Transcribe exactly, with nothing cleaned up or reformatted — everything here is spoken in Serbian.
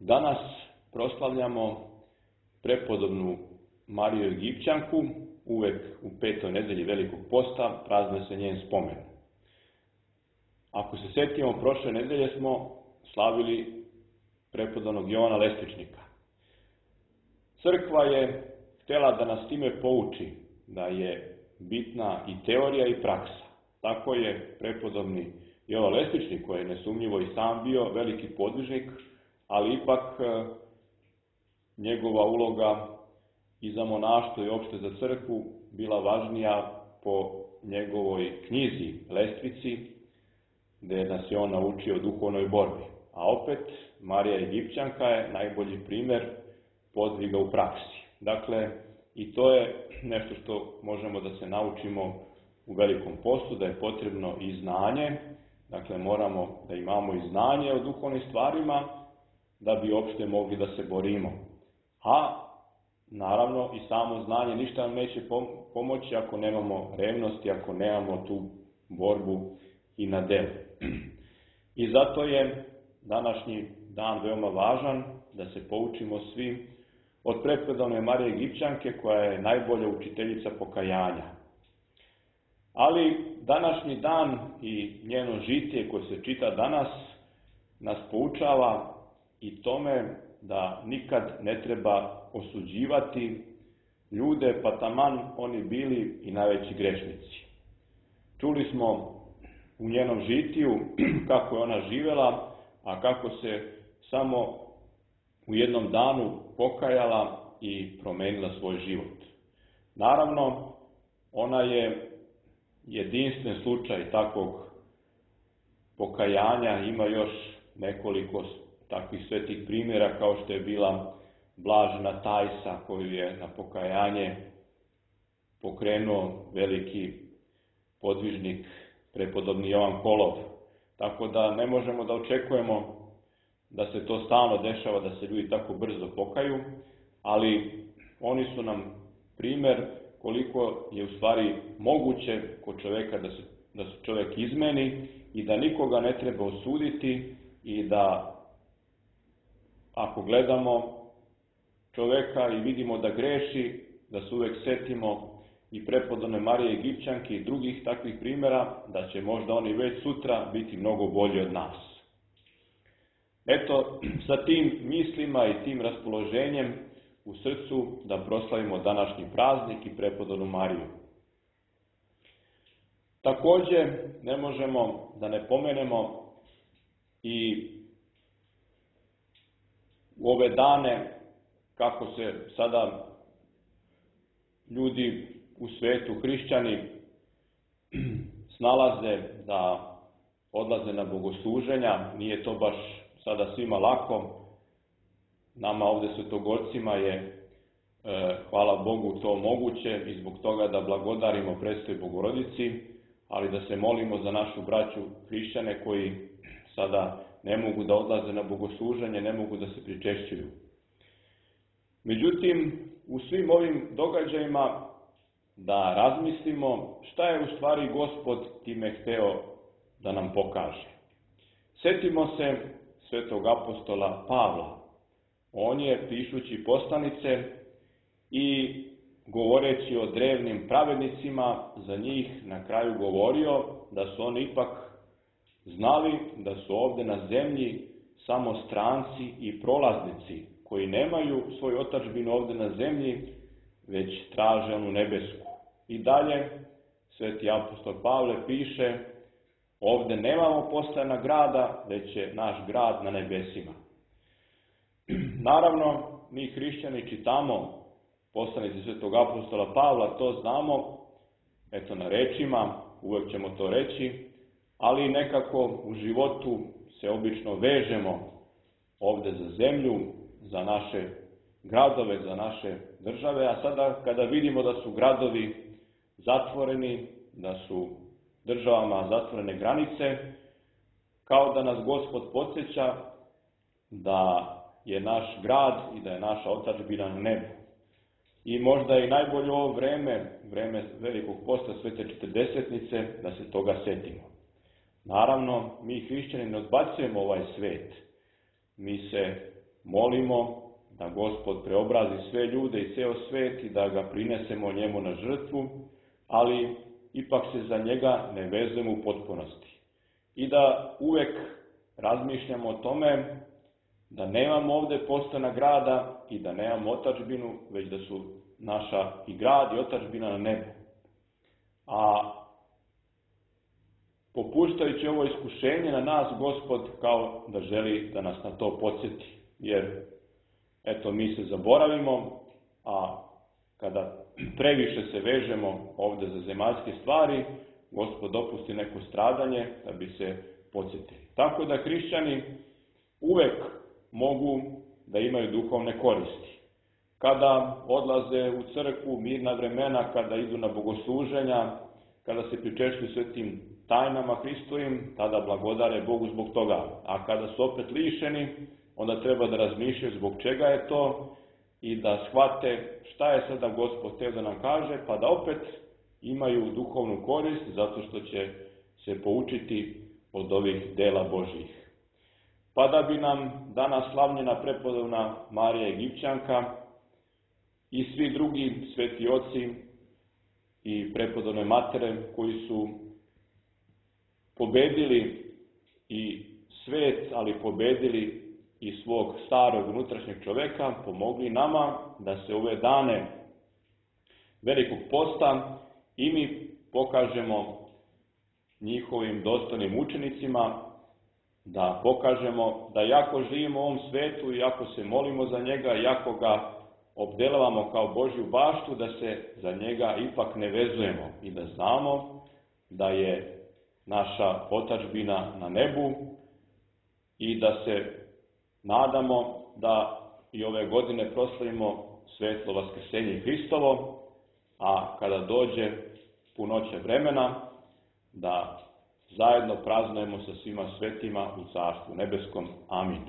Danas proslavljamo prepodobnu Mariju Egipćanku, uvek u petoj nedelji Velikog posta praznuje se njen spomen. Ako se sjetimo, prošle nedelje smo slavili prepodobnog Jovana Lestvičnika. Crkva je htjela da nas time pouči da je bitna i teorija i praksa. Tako je prepodobni Jovan Lestvičnik, koji je nesumnjivo i sam bio veliki podvižnik, ali ipak njegova uloga i za monaštvo i opšte za crkvu bila važnija po njegovoj knjizi Lestvici, gde nas je on naučio duhovnoj borbi. A opet, Marija Egipćanka je najbolji primjer podviga u praksi. Dakle, i to je nešto što možemo da se naučimo u Velikom postu, da je potrebno i znanje, dakle moramo da imamo i znanje o duhovnim stvarima, da bi uopšte mogli da se borimo. A, naravno, i samo znanje ništa nam neće pomoći ako nemamo revnosti, ako nemamo tu borbu i na delu. I zato je današnji dan veoma važan, da se poučimo svi od prepodobne Marije Egipćanke, koja je najbolja učiteljica pokajanja. Ali današnji dan i njeno žitije koje se čita danas nas poučava i tome da nikad ne treba osuđivati ljude, pa taman oni bili i najveći grešnici. Čuli smo u njenom žitiju kako je ona živela, a kako se samo u jednom danu pokajala i promenila svoj život. Naravno, ona je jedinstven slučaj takvog pokajanja, ima još nekoliko takvih svetih primjera, kao što je bila Blažena Tajsa, koju je na pokajanje pokrenuo veliki podvižnik prepodobni Jovan Kolov. Tako da ne možemo da očekujemo da se to stalno dešava, da se ljudi tako brzo pokaju, ali oni su nam primjer koliko je u stvari moguće kod čoveka da se, da se čovek izmeni i da nikoga ne treba osuditi i da ako gledamo čoveka i vidimo da greši, da se uvek setimo i prepodobne Marije Egipćanke i drugih takvih primjera, da će možda oni već sutra biti mnogo bolji od nas. Eto, sa tim mislima i tim raspoloženjem u srcu da proslavimo današnji praznik i prepodobnu Mariju. Takođe, ne možemo da ne pomenemo i u ove dane kako se sada ljudi u svetu, hrišćani, snalaze da odlaze na bogosluženja. Nije to baš sada svima lako. Nama ovde svetogorcima je, e, hvala Bogu, to moguće i zbog toga da blagodarimo Presvetoj Bogorodici, ali da se molimo za našu braću hrišćane koji sada ne mogu da odlaze na bogosluženje, ne mogu da se pričešćuju. Međutim, u svim ovim događajima da razmislimo šta je u stvari Gospod time hteo da nam pokaže. Setimo se svetog apostola Pavla. On je, pišući poslanice i govoreći o drevnim pravednicima, za njih na kraju govorio da su oni ipak znali da su ovde na zemlji samo stranci i prolaznici, koji nemaju svoju otadžbinu ovde na zemlji, već traže onu nebesku. I dalje, sveti apostol Pavle piše, ovde nemamo postojana grada, već je naš grad na nebesima. Naravno, mi hrišćani čitamo poslanice svetog apostola Pavla, to znamo, eto na rečima, uvek ćemo to reći, ali nekako u životu se obično vežemo ovde za zemlju, za naše gradove, za naše države, a sada kada vidimo da su gradovi zatvoreni, da su državama zatvorene granice, kao da nas Gospod podsjeća da je naš grad i da je naša otadžbina na nebu. I možda je najbolje ovo vreme, vreme Velikog posta Svete Četrdesetnice, da se toga setimo. Naravno, mi hrišćani ne odbacujemo ovaj svet. Mi se molimo da Gospod preobrazi sve ljude i ceo svet i da ga prinesemo njemu na žrtvu, ali ipak se za njega ne vezujemo u potpunosti. I da uvek razmišljamo o tome da nemamo ovde postojana grada i da nemamo otadžbinu, već da su naša i grad i otadžbina na nebu. A popuštajući ovo iskušenje na nas, Gospod kao da želi da nas na to podsjeti. Jer, eto, mi se zaboravimo, a kada previše se vežemo ovde za zemaljske stvari, Gospod dopusti neko stradanje da bi se podsjetili. Tako da hrišćani uvek mogu da imaju duhovne koristi. Kada odlaze u crkvu, mirna vremena, kada idu na bogosluženja, kada se pričešćuju svetim tajnama Hristovim, tada blagodare Bogu zbog toga. A kada su opet lišeni, onda treba da razmišljaju zbog čega je to i da shvate šta je sada Gospod hteo da nam kaže, pa da opet imaju duhovnu korist zato što će se poučiti od ovih dela Božjih. Pa da bi nam danas slavljena prepodobna Marija Egipćanka i svi drugi sveti oci i prepodobne matere koji su pobedili i svet, ali pobedili i svog starog unutrašnjeg čoveka, pomogli nama da se ove dane velikog posta i mi pokažemo njihovim dostojnim učenicima, da pokažemo da jako živimo u ovom svetu i ako se molimo za njega, jako ga obdelavamo kao Božju baštu, da se za njega ipak ne vezujemo i da znamo da je naša otadžbina na nebu i da se nadamo da i ove godine proslavimo svetlo vaskrsenje Hristovo, a kada dođe punoća vremena, da zajedno praznujemo sa svima svetima u Carstvu nebeskom. Amin.